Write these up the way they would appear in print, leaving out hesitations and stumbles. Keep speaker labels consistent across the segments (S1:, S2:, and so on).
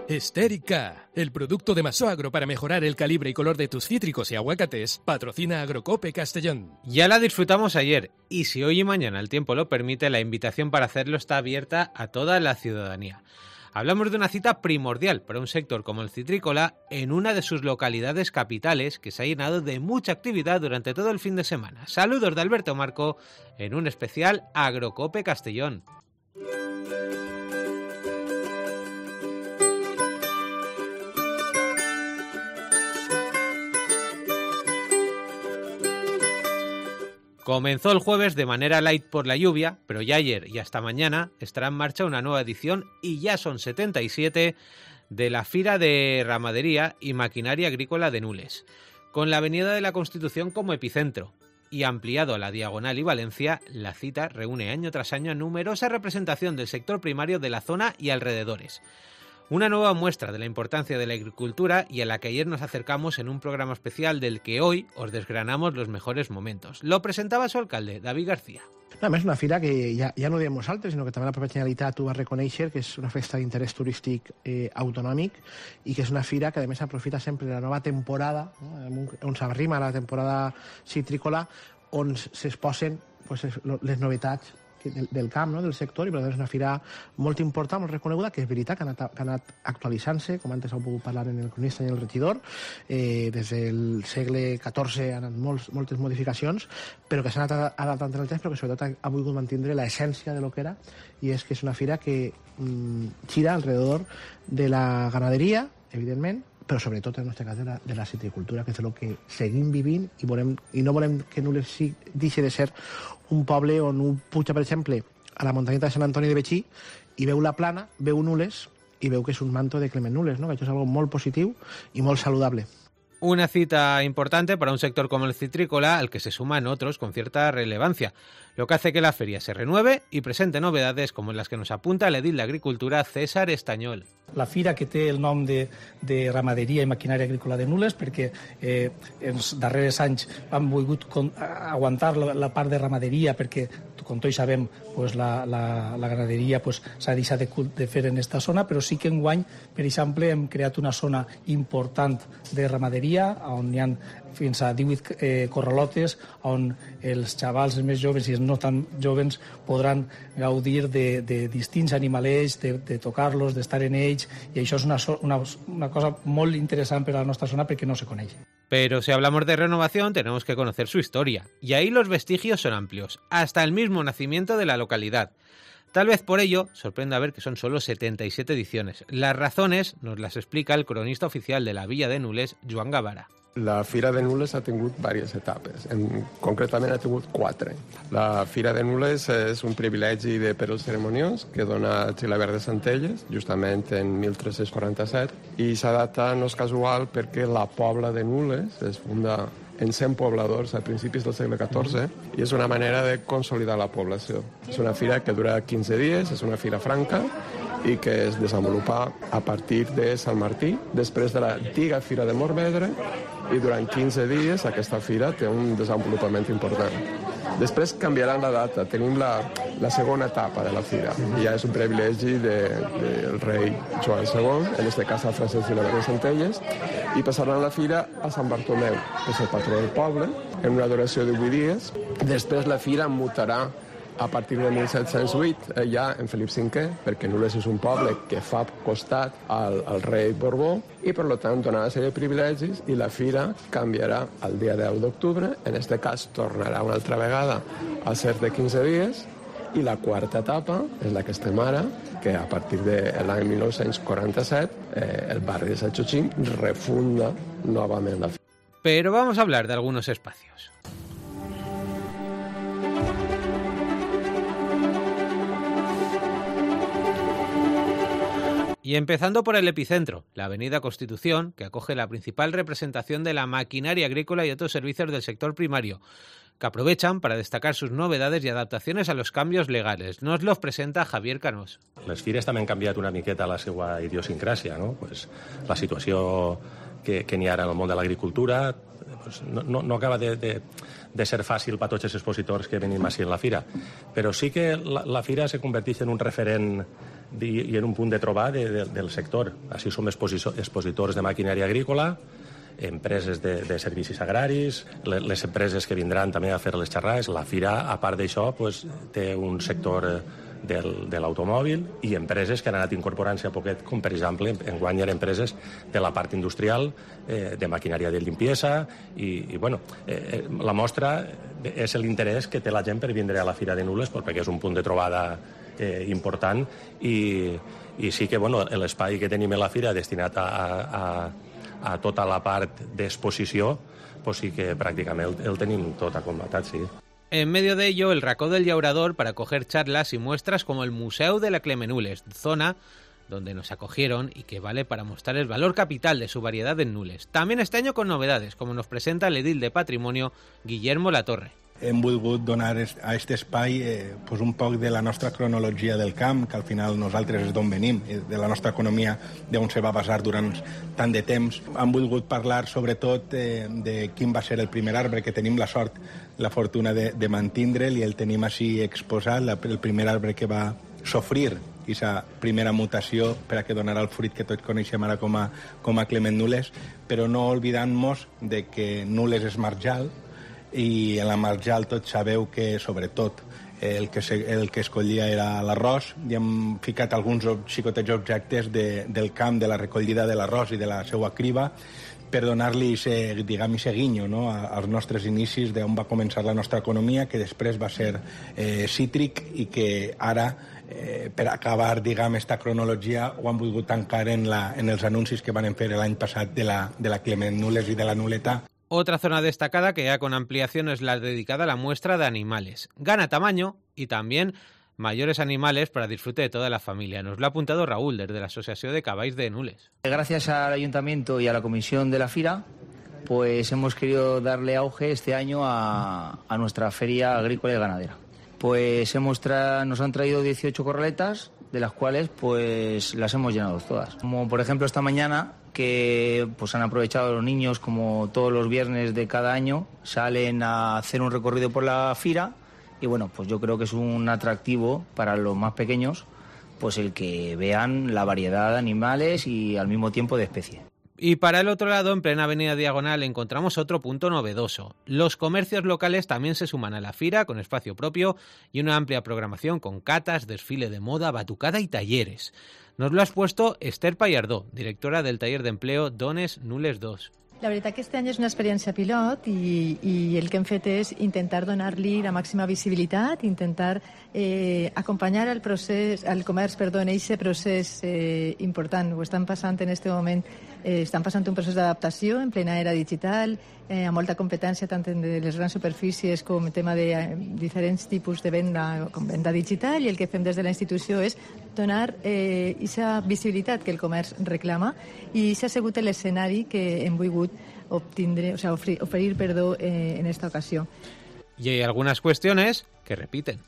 S1: Estérica, el producto de Masoagro para mejorar el calibre y color de tus cítricos y aguacates, patrocina Agrocope Castellón.
S2: Ya la disfrutamos ayer y si hoy y mañana el tiempo lo permite, la invitación para hacerlo está abierta a toda la ciudadanía. Hablamos de una cita primordial para un sector como el citrícola en una de sus localidades capitales que se ha llenado de mucha actividad durante todo el fin de semana. Saludos de Alberto Marco en un especial Agrocope Castellón. Comenzó el jueves de manera light por la lluvia, pero ya ayer y hasta mañana estará en marcha una nueva edición y ya son 77 de la Fira de Ramadería y Maquinaria Agrícola de Nules, con la Avenida de la Constitución como epicentro y ampliado a la Diagonal y Valencia, la cita reúne año tras año a numerosa representación del sector primario de la zona y alrededores. Una nueva muestra de la importancia de la agricultura y a la que ayer nos acercamos en un programa especial del que hoy os desgranamos los mejores momentos. Lo presentava su alcalde, David García.
S3: A més, una fira que ja no ho diem nosaltres, sinó que també la pròpia Generalitat ho va reconèixer, que és una festa d'interès turístic autonòmic i que és una fira que, a més, aprofita sempre la nova temporada, no? On s'arrima la temporada citrícola, on s'exposen les novetats del camp, no? Del sector, i per tant és una fira molt important, molt reconeguda, que és veritat que ha anat actualitzant-se, com antes heu pogut parlar en el cronista i en el regidor. Des del segle XIV han anat moltes modificacions, però que s'han anat adaptant en el temps, però que sobretot ha volgut mantenir l'essència de lo que era, i és que és una fira que gira alrededor de la ganaderia, evidentment, però sobretot en el nostre cas de la citricultura, que és el que seguim vivint i no volem que Nules deixi de ser un poble on un puja, per exemple, a la muntanyeta de Sant Antoni de Betxí i veu la plana, veu Nules i veu que és un manto de Clement Nules, ¿no? Que això és algo molt positiu i molt saludable.
S2: Una cita importante para un sector como el citrícola, al que se suman otros con cierta relevancia, lo que hace que la feria se renueve y presente novedades como las que nos apunta el edil de Agricultura César Estañol.
S4: La fira que té el nom de Ramaderia i Maquinària Agrícola de Nules, perquè en els darrers anys han volgut aguantar la part de ramaderia, perquè, com tots sabem, la ganaderia s'ha deixat de fer en aquesta zona, però sí que enguany, per exemple, hem creat una zona important de ramaderia, on hi ha fins a 18 corralotes, on els xavals més joves i els no tan joves podran gaudir de distints animalets, de tocar-los, d'estar en ells, y això és una cosa molt interessant per a la nostra zona perquè no se coneix.
S2: Pero si hablamos de renovación tenemos que conocer su historia, y ahí los vestigios son amplios, hasta el mismo nacimiento de la localidad. Tal vez por ello sorprenda ver que son solo 77 ediciones. Las razones nos las explica el cronista oficial de la Villa de Nules, Joan Gavara.
S5: La Fira de Nules ha tingut diverses etapes, concretament ha tingut 4. La Fira de Nules és un privilegi de Perls Ceremoniós que dona Xilabert de Centelles, justament en 1347, i s'ha datat, no és casual, perquè la Pobla de Nules es funda en 100 pobladors a principis del segle XIV i és una manera de consolidar la població. És una fira que dura 15 dies, és una fira franca i que es desenvolupa a partir de Sant Martí, després de l'antiga Fira de Morvedre, i durant 15 dies aquesta fira té un desenvolupament important. Després canviaran la data, tenim la segona etapa de la fira, i ja és un privilegi del rei Joan II, en este cas a Francesc Xilabert de Centelles, i passaran la fira a Sant Bartomeu, que és el patró del poble, en una duració de 8 dies. Després la fira mutarà a partir de 1708 ja en Felip V, perquè Nules és un poble que fa costat al rei Borbó i per tant donarà una sèrie de privilegis i la fira canviarà el dia 10 d'octubre, en aquest cas tornarà una altra vegada a ser de 15 dies i la quarta etapa és la que estem ara, que a partir de l'any 1947 el barri de Sant Xochín refunda novament la fira.
S2: Pero vamos a hablar de algunos espacios. Y empezando por el epicentro, la Avenida Constitución, que acoge la principal representación de la maquinaria agrícola y otros servicios del sector primario, que aprovechan para destacar sus novedades y adaptaciones a los cambios legales. Nos los presenta Javier Canós.
S6: Les fires també han canviat una miqueta la seva idiosincràsia, no? Pues la situació que n'hi ha ara en el món de l'agricultura. Pues no acaba de ser fàcil per tots els expositors que venim així en la fira, però sí que la fira se converteix en un referent i en un punt de trobar del sector. Així som expositors de maquinària agrícola, empreses de servicis agraris, les empreses que vindran també a fer les xerrades. La fira, a part d'això, pues, té un sector de l'automòbil i empreses que han anat incorporant-se a poquet, com per exemple enguany hi ha empreses de la part industrial, de maquinària de limpiesa i bueno, la mostra és l'interès que té la gent per vindre a la Fira de Nules, perquè és un punt de trobada important i sí que bueno, l'espai que tenim a la fira destinat a tota la part d'exposició, pues sí que pràcticament el tenim tot acompanyat, sí.
S2: En medio de ello, el Racó del Llaurador para acoger charlas y muestras como el Museu de la Clemenules, zona donde nos acogieron y que vale para mostrar el valor capital de su variedad en Nules. También este año con novedades, como nos presenta el edil de Patrimonio, Guillermo Latorre.
S7: Hem volgut donar a aquest espai pues un poc de la nostra cronologia del camp, que al final nosaltres és d'on venim, de la nostra economia, d'on se va basar durant tant de temps. Hem volgut parlar sobretot de quin va ser el primer arbre, que tenim la sort, la fortuna de mantindre'l, i el tenim així exposat, el primer arbre que va sofrir aquesta primera mutació per a que donarà el fruit que tots coneixem ara com a Clement Nules, però no oblidant-nos de que Nules és marjal, i en la marjal tots sabeu que sobretot el que escollia era l'arròs, i hem ficat alguns xicotets objectes del camp, de la recollida de l'arròs i de la seva criba, per donar-li ese guinyo, no?, als nostres inicis d'on va començar la nostra economia, que després va ser cítric i que ara, per acabar, esta cronologia, ho han volgut tancar en els anuncis que van fer l'any passat de la Clement Nules i de la Nuleta.
S2: Otra zona destacada que ya con ampliación es la dedicada a la muestra de animales. Gana tamaño y también mayores animales para disfrute de toda la familia. Nos lo ha apuntado Raúl, desde la Asociación de Caballs de Nules.
S8: Gracias al Ayuntamiento y a la Comisión de la Fira, pues hemos querido darle auge este año a nuestra feria agrícola y ganadera. Pues nos han traído 18 corraletas, de las cuales pues las hemos llenado todas. Como por ejemplo esta mañana, que pues han aprovechado los niños, como todos los viernes de cada año, salen a hacer un recorrido por la fira, y bueno, pues yo creo que es un atractivo para los más pequeños, pues el que vean la variedad de animales y al mismo tiempo de especies.
S2: Y para el otro lado, en plena avenida Diagonal, encontramos otro punto novedoso. Los comercios locales también se suman a la fira con espacio propio y una amplia programación con catas, desfile de moda, batucada y talleres. Nos lo ha expuesto Esther Pallardó, directora del taller de empleo Dones Nules 2.
S9: La veritat que este any és una experiència pilot i el que hem fet és intentar donar-li la màxima visibilitat, intentar acompanyar el comerç, en aquest procés important. Ho estan passant en aquest moment, estan passant un procés d'adaptació en plena era digital, amb molta competència tant en les grans superfícies com en tema de diferents tipus de venda, com venda digital, i el que fem des de la institució és donar aquesta visibilitat que el comerç reclama, i s'ha sigut l'escenari que hem volgut oferir en esta ocasión.
S2: Y hay algunas cuestiones que repiten.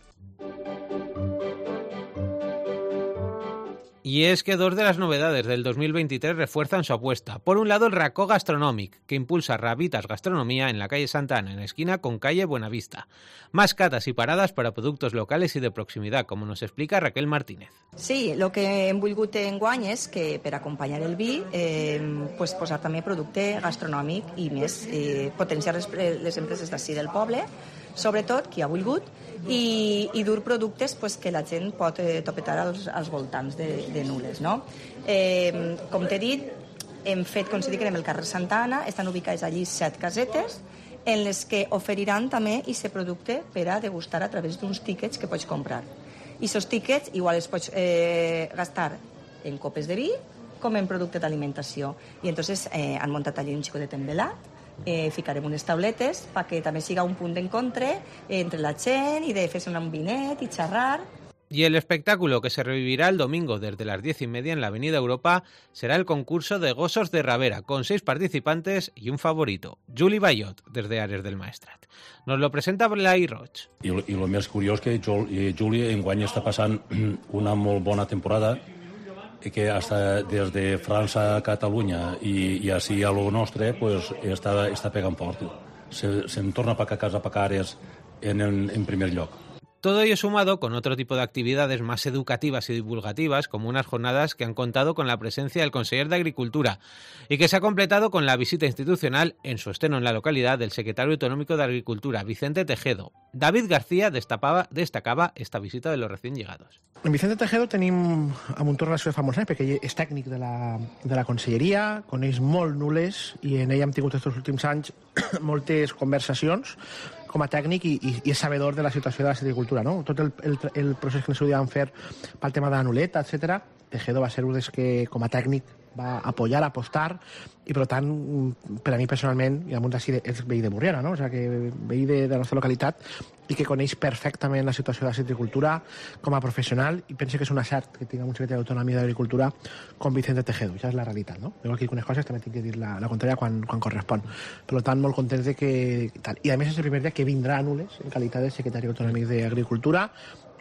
S2: Y es que dos de las novedades del 2023 refuerzan su apuesta. Por un lado, el Racó Gastronomic, que impulsa Rabitas Gastronomía en la calle Santa Ana, en esquina con calle Buenavista. Más catas y paradas para productos locales y de proximidad, como nos explica Raquel Martínez.
S10: Sí, el que hem volgut enguany és que per acompanyar el vi pues posar també producte gastronòmic i més potenciar les empreses d'ací del poble, sobretot qui ha volgut, i dur productes pues, que la gent pot topetar als voltants de Nules. No? Com t'he dit, hem fet, com si dic, en el carrer Santa Ana, estan ubicades allí 7 casetes, en les que oferiran també aquest producte per a degustar a través d'uns tíquets que pots comprar. I aquests tíquets igual els pots gastar en copes de vi com en producte d'alimentació. I entonces han muntat allí un xicotet envelat, ficarem unes tauletes perquè també siga un punt d'encontre entre la gent i de fer-se un vinet i xerrar.
S2: Y el espectáculo que se revivirá el domingo desde las 10:30 en la Avenida Europa será el concurso de Gossos de Rabera, con 6 participantes y un favorito, Juli Bayot, desde Ares del Maestrat. Nos lo presenta Blai Roig.
S11: I el més curiós que Juli enguany està passant una molt bona temporada, que hasta desde França a Catalunya i així a lo nostre pues, està pegant fort. Se'n torna per casa per cares en primer lloc.
S2: Todo ello sumado con otro tipo de actividades más educativas y divulgativas, como unas jornadas que han contado con la presencia del conseller de Agricultura y que se ha completado con la visita institucional en su estreno en la localidad del secretario autonómico de Agricultura, Vicente Tejedo. David García destacaba esta visita de los recién llegados.
S3: En Vicente Tejedo tenim amb un torn relació de fa molts anys, perquè ell és tècnic de la conselleria, coneix molt Nules i en ell hem tingut aquests últims anys moltes conversacions com a tècnic i és sabedor de la situació de la silvicultura, no? Tot el procés que en el seu dia van fer pel tema de la nuleta, etc. Tejedo va ser un dels que, com a tècnic, va apoyar, apostar, i per tant, per a mi personalment, i amunt d'ací és veí de Burriana, no? O sigui, que veí de la nostra localitat i que coneix perfectament la situació de la silvicultura com a professional, i penso que és un acert que tinguem un secretari d'autonomia d'Agricultura com Vicente Tejedo. Això és la realitat, no? Jo aquí algunes coses també tinc que dir la contrària quan correspon. Per tant, molt contents de que... Tal. I a més és el primer dia que vindrà a Nules en qualitat de secretari autonòmic d'Agricultura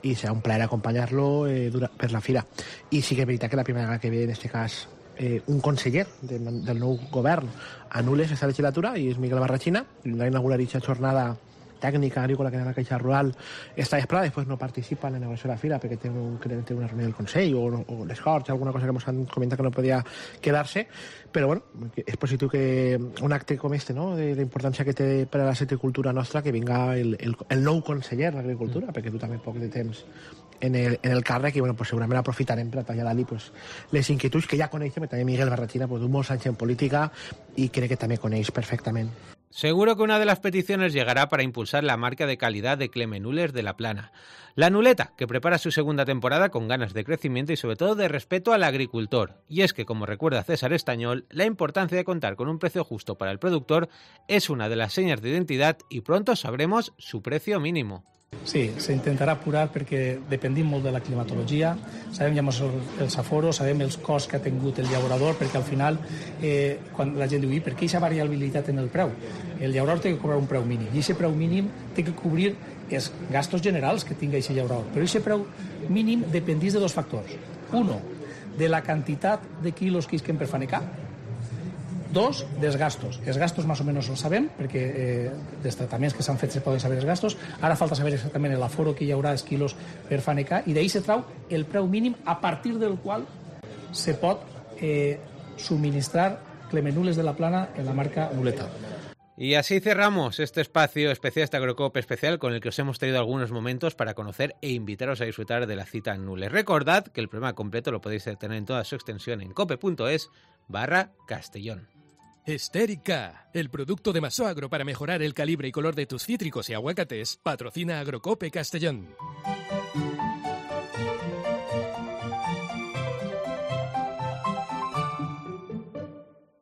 S3: i serà un plaer acompanyar-lo per la fira. I sí que és veritat que la primera vegada que ve, en aquest cas, un conseller del nou govern a Nules aquesta legislatura, i és Miguel Barrachina, i va inaugurar aquesta jornada tècnica agrícola que en la Caixa Rural està esperada, després no participa en la negociació de la fira perquè té una reunió del Consell o les Corts, alguna cosa que ens han comentat que no podia quedar-se, però bueno, és positiu que un acte com este, no?, de la importància que té per a la silvicultura nostra, que vinga el nou conseller d'Agricultura, perquè tu també poc de temps en el càrrec, i bueno, pues segurament aprofitarem per a traslladar-li pues, les inquietuds que ja coneixem, també Miguel Barrachina pues, d'un molts anys en política i crec que també coneix perfectament.
S2: Seguro que una de las peticiones llegará para impulsar la marca de calidad de Clemenules de La Plana. La Nuleta, que prepara su segunda temporada con ganas de crecimiento y sobre todo de respeto al agricultor. Y es que, como recuerda César Estañol, la importancia de contar con un precio justo para el productor es una de las señas de identidad y pronto sabremos su precio mínimo.
S4: Sí, s'intentarà apurar perquè dependim molt de la climatologia, sabem ja els aforos, sabem els costs que ha tingut el llaurador, perquè al final, quan la gent diu, per què aquesta variabilitat en el preu? El llaurador té que cobrar un preu mínim, i aquest preu mínim té que cobrir els gastos generals que tingui aquest llaurador. Però aquest preu mínim dependís de dos factors. Uno, de la quantitat de quilos que isquen per fanecar. Dos, dels gastos. Els gastos més o menys els sabem, perquè dels tractaments que s'han fet se poden saber els gastos. Ara falta saber exactament l'aforo que hi haurà els quilos per fanecar, i d'ahí se trau el preu mínim a partir del qual se pot suministrar Clemenules de La Plana en la marca Nuleta.
S2: Y así cerramos este espacio especial, este Agrocope especial, con el que os hemos traído algunos momentos para conocer e invitaros a disfrutar de la cita en Nules. Recordad que el programa completo lo podéis tener en toda su extensión en cope.es/Castellón.
S1: Estérica, el producto de Masoagro para mejorar el calibre y color de tus cítricos y aguacates, patrocina Agrocope Castellón.